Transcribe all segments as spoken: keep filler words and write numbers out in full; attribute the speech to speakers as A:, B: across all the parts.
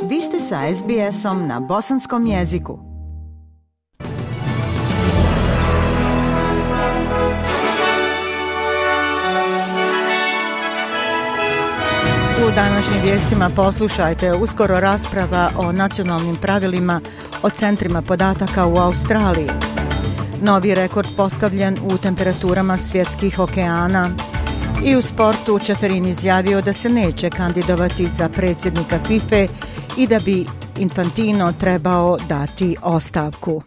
A: Vi ste sa es bi esom na bosanskom jeziku. U današnjim vijestima poslušajte uskoro rasprava o nacionalnim pravilima o centrima podataka u Australiji. Novi rekord postavljen u temperaturama svjetskih okeana. I u sportu Čeferin izjavio da se neće kandidovati za predsjednika FIFA i da bi Infantino trebao dati ostavku.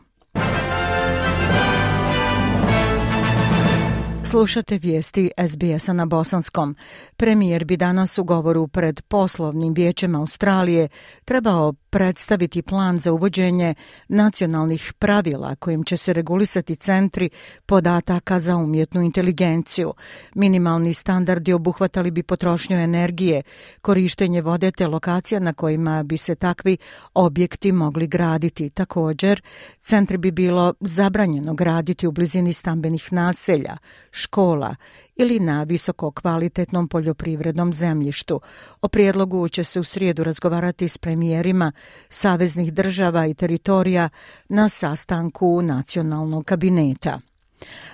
A: Slušate vijesti es bi esa na bosanskom. Premijer bi danas u govoru pred poslovnim vijećem Australije trebao predstaviti plan za uvođenje nacionalnih pravila kojim će se regulisati centri podataka za umjetnu inteligenciju. Minimalni standardi obuhvatali bi potrošnju energije, korištenje vode te lokacija na kojima bi se takvi objekti mogli graditi. Također, centri bi bilo zabranjeno graditi u blizini stambenih naselja, škola ili na visoko kvalitetnom poljoprivrednom zemljištu. O prijedlogu će se u srijedu razgovarati s premijerima saveznih država i teritorija na sastanku nacionalnog kabineta.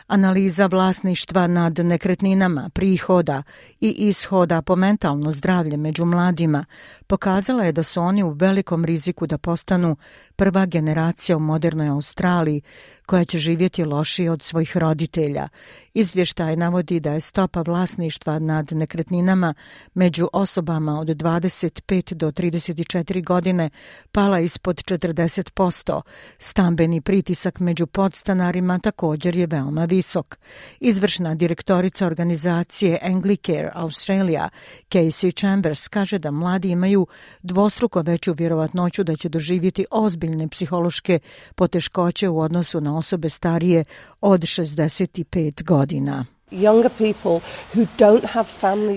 A: Analiza vlasništva nad nekretninama, prihoda i ishoda po mentalno zdravlje među mladima pokazala je da su oni u velikom riziku da postanu prva generacija u modernoj Australiji koja će živjeti lošije od svojih roditelja. Izvještaj navodi da je stopa vlasništva nad nekretninama među osobama od dvadeset pet do trideset četiri godine pala ispod četrdeset posto. Stambeni pritisak među podstanarima također je veoma visok. Izvršna direktorica organizacije Anglicare Australia, Casey Chambers, kaže da mladi imaju dvostruko veću vjerovatnoću da će doživjeti ozbiljne psihološke poteškoće u odnosu na osobe starije od šezdeset pet godina.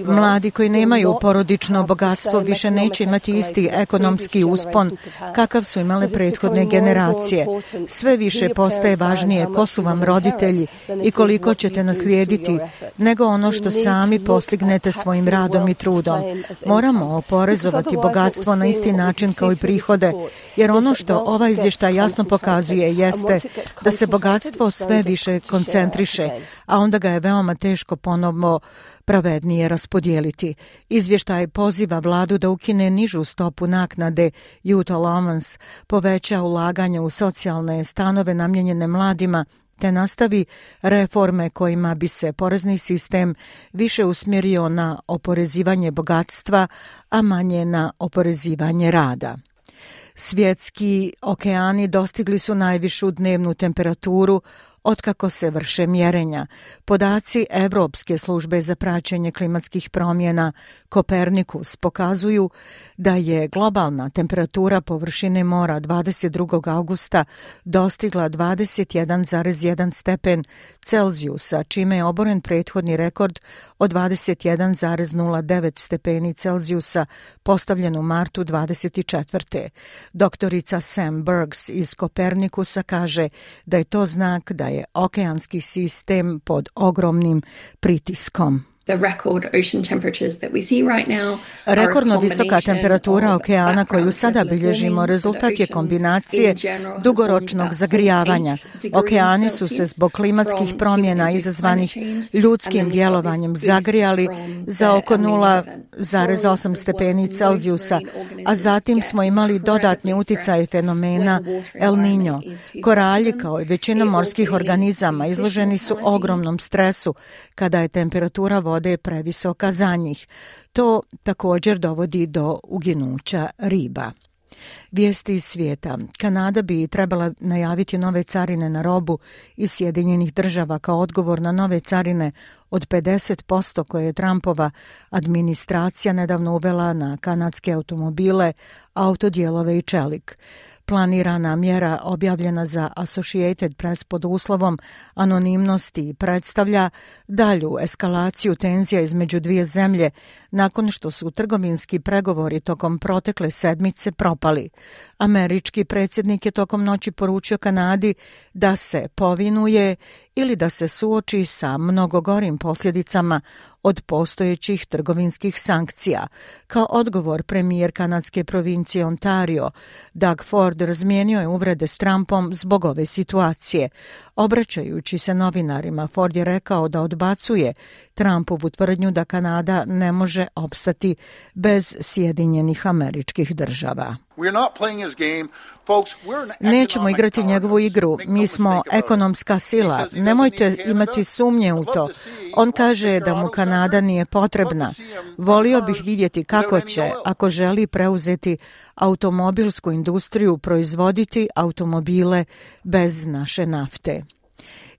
A: Mladi koji nemaju porodično bogatstvo više neće imati isti ekonomski uspon kakav su imale prethodne generacije. Sve više postaje važnije ko su vam roditelji i koliko ćete naslijediti nego ono što sami postignete svojim radom i trudom. Moramo oporezovati bogatstvo na isti način kao i prihode, jer ono što ovaj izvještaj jasno pokazuje jeste da se bogatstvo sve više koncentriše, a onda ga je veoma teško ponovno pravednije raspodijeliti. Izvještaj poziva vladu da ukine nižu stopu naknade Youth Allowance, poveća ulaganje u socijalne stanove namijenjene mladima, te nastavi reforme kojima bi se porezni sistem više usmjerio na oporezivanje bogatstva, a manje na oporezivanje rada. Svjetski okeani dostigli su najvišu dnevnu temperaturu otkako se vrše mjerenja. Podaci Evropske službe za praćenje klimatskih promjena Kopernikus pokazuju da je globalna temperatura površine mora dvadeset drugog augusta dostigla dvadeset jedan zarez jedan stepen Celzijusa, čime je oboren prethodni rekord od dvadeset jedan zarez nula devet stepeni Celzijusa postavljen u martu dvadeset četvrte. Doktorica Sam Bergs iz Kopernikusa kaže da je to znak da je okeanski sistem pod ogromnim pritiskom. Rekordno visoka temperatura okeana koju sada bilježimo rezultat je kombinacije dugoročnog zagrijavanja. Okeani su se zbog klimatskih promjena izazvanih ljudskim djelovanjem zagrijali za oko nula zarez osam stepeni Celzijusa, a zatim smo imali dodatni uticaj fenomena El Niño. Koralji, kao i većina morskih organizama, izloženi su ogromnom stresu kada je temperatura vode previsoka za njih. To također dovodi do uginuća riba. Vijesti iz svijeta. Kanada bi trebala najaviti nove carine na robu iz Sjedinjenih država kao odgovor na nove carine od pedeset posto koje je Trumpova administracija nedavno uvela na kanadske automobile, autodijelove i čelik. Planirana mjera objavljena za Associated Press pod uslovom anonimnosti predstavlja dalju eskalaciju tenzija između dvije zemlje nakon što su trgovinski pregovori tokom protekle sedmice propali. Američki predsjednik je tokom noći poručio Kanadi da se povinuje ili da se suoči sa mnogo gorim posljedicama od postojećih trgovinskih sankcija. Kao odgovor, premijer kanadske provincije Ontario, Doug Ford, razmijenio je uvrede s Trumpom zbog ove situacije. Obraćajući se novinarima, Ford je rekao da odbacuje Trumpovu tvrdnju da Kanada ne može opstati bez Sjedinjenih Američkih Država. Nećemo igrati njegovu igru. Mi smo ekonomska sila. Nemojte imati sumnje u to. On kaže da mu Kanada nije potrebna. Volio bih vidjeti kako će, ako želi preuzeti automobilsku industriju, proizvoditi automobile bez naše nafte.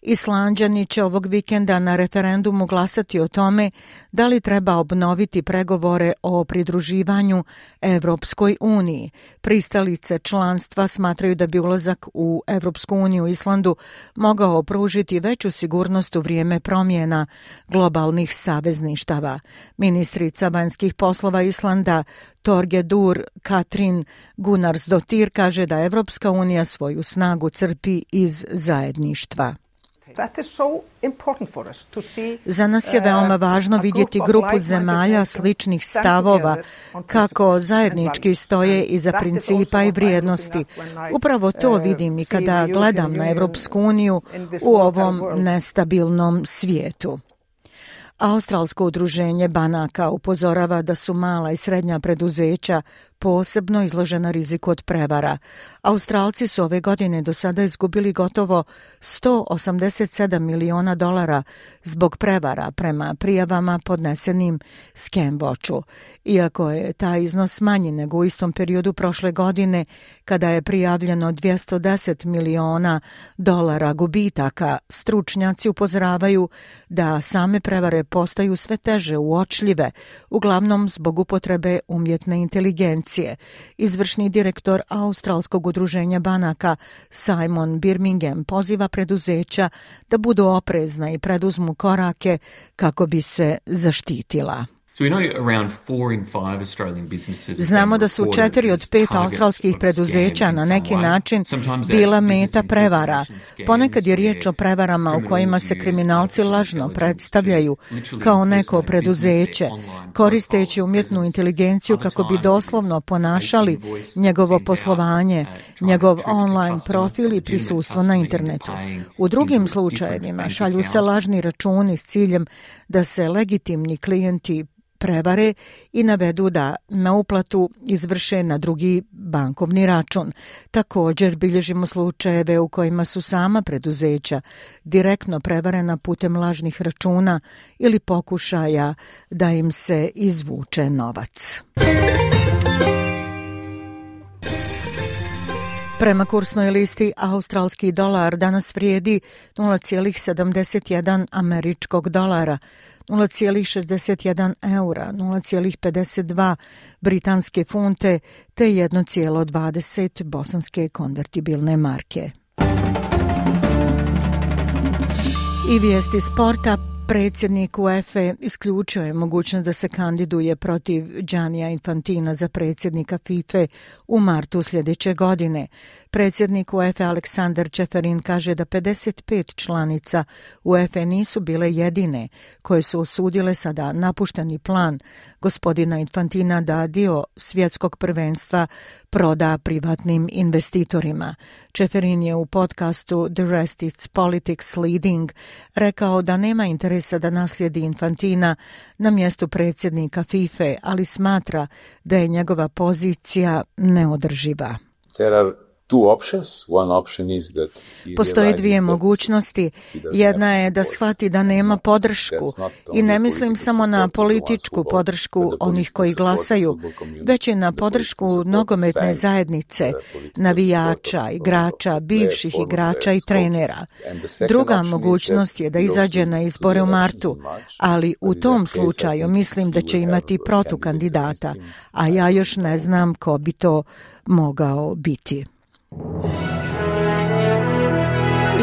A: Islanđani će ovog vikenda na referendumu glasati o tome da li treba obnoviti pregovore o pridruživanju Evropskoj uniji. Pristalice članstva smatraju da bi ulazak u Evropsku uniju Islandu mogao pružiti veću sigurnost u vrijeme promjena globalnih savezništava. Ministrica vanjskih poslova Islanda Torgedur Katrin Gunnarsdottir kaže da Evropska unija svoju snagu crpi iz zajedništva. Za nas je veoma važno vidjeti grupu zemalja sličnih stavova kako zajednički stoje iza principa i vrijednosti. Upravo to vidim i kada gledam na Evropsku uniju u ovom nestabilnom svijetu. Australsko udruženje banaka upozorava da su mala i srednja preduzeća posebno izložena riziku od prevara. Australci su ove godine do sada izgubili gotovo sto osamdeset sedam miliona dolara zbog prevara prema prijavama podnesenim Scamwatchu. Iako je taj iznos manji nego u istom periodu prošle godine, kada je prijavljeno dvjesto deset miliona dolara gubitaka, stručnjaci upozoravaju da same prevare postaju sve teže uočljive, uglavnom zbog upotrebe umjetne inteligencije. Izvršni direktor Australskog udruženja banaka Simon Birmingham poziva preduzeća da budu oprezna i preduzmu korake kako bi se zaštitila. Znamo da su četiri od pet australskih preduzeća na neki način bila meta prevara. Ponekad je riječ o prevarama u kojima se kriminalci lažno predstavljaju kao neko preduzeće, koristeći umjetnu inteligenciju kako bi doslovno ponašali njegovo poslovanje, njegov online profil i prisustvo na internetu. U drugim slučajevima šalju se lažni računi s ciljem da se legitimni klijenti prevare i navedu da na uplatu izvrše na drugi bankovni račun. Također bilježimo slučajeve u kojima su sama preduzeća direktno prevarena putem lažnih računa ili pokušaja da im se izvuče novac. Prema kursnoj listi, australski dolar danas vrijedi nula zarez sedamdeset jedan američkog dolara, nula zarez šezdeset jedan eura, nula zarez pedeset dva britanske funte te jedna zarez dvadeset bosanske konvertibilne marke. I vijesti sporta. Predsjednik UEFA isključio je mogućnost da se kandiduje protiv Giannija Infantina za predsjednika FIFA u martu sljedeće godine. Predsjednik UEFA Aleksandar Čeferin kaže da pedeset pet članica UEFA nisu bile jedine koje su osudile sada napušteni plan gospodina Infantina da dio svjetskog prvenstva proda privatnim investitorima. Čeferin je u podcastu The Rest is Politics Leading rekao da nema interesa da naslijedi Infantina na mjestu predsjednika FIFA, ali smatra da je njegova pozicija neodrživa.
B: There are two options. One option is that
A: Postoje dvije mogućnosti. Jedna je da shvati da nema podršku i ne mislim samo na političku podršku onih koji glasaju, već i na podršku nogometne zajednice, navijača, igrača, bivših igrača i trenera. Druga mogućnost je da izađe na izbore u martu, ali u tom slučaju mislim da će imati protukandidata, a ja još ne znam ko bi to mogao biti.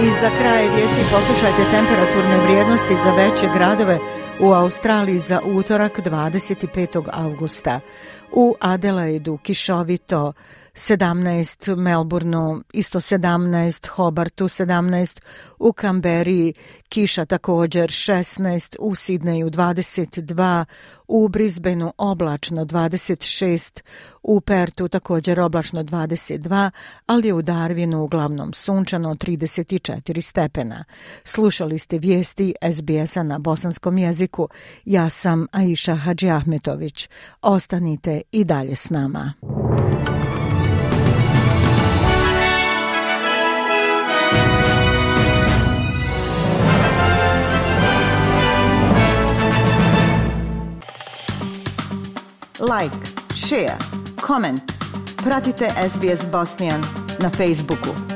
A: I za kraj vijesti poslušajte temperaturne vrijednosti za veće gradove u Australiji za utorak dvadeset petog avgusta. U Adelaidu kišovito sedamnaest, Melbourneu isto sedamnaest, Hobartu sedamnaest, u Kamberiji kiša također šesnaest, u Sidneju dvadeset dva, u Brisbaneu oblačno dvadeset šest, u Pertu također oblačno dvadeset dva, ali je u Darwinu uglavnom sunčano trideset četiri stepena. Slušali ste vijesti S B S-a na bosanskom jeziku. Ja sam Aisha Hadžiahmetović. Ostanite i dalje s nama. Like, share, comment. Pratite S B S Bosnian na Facebooku.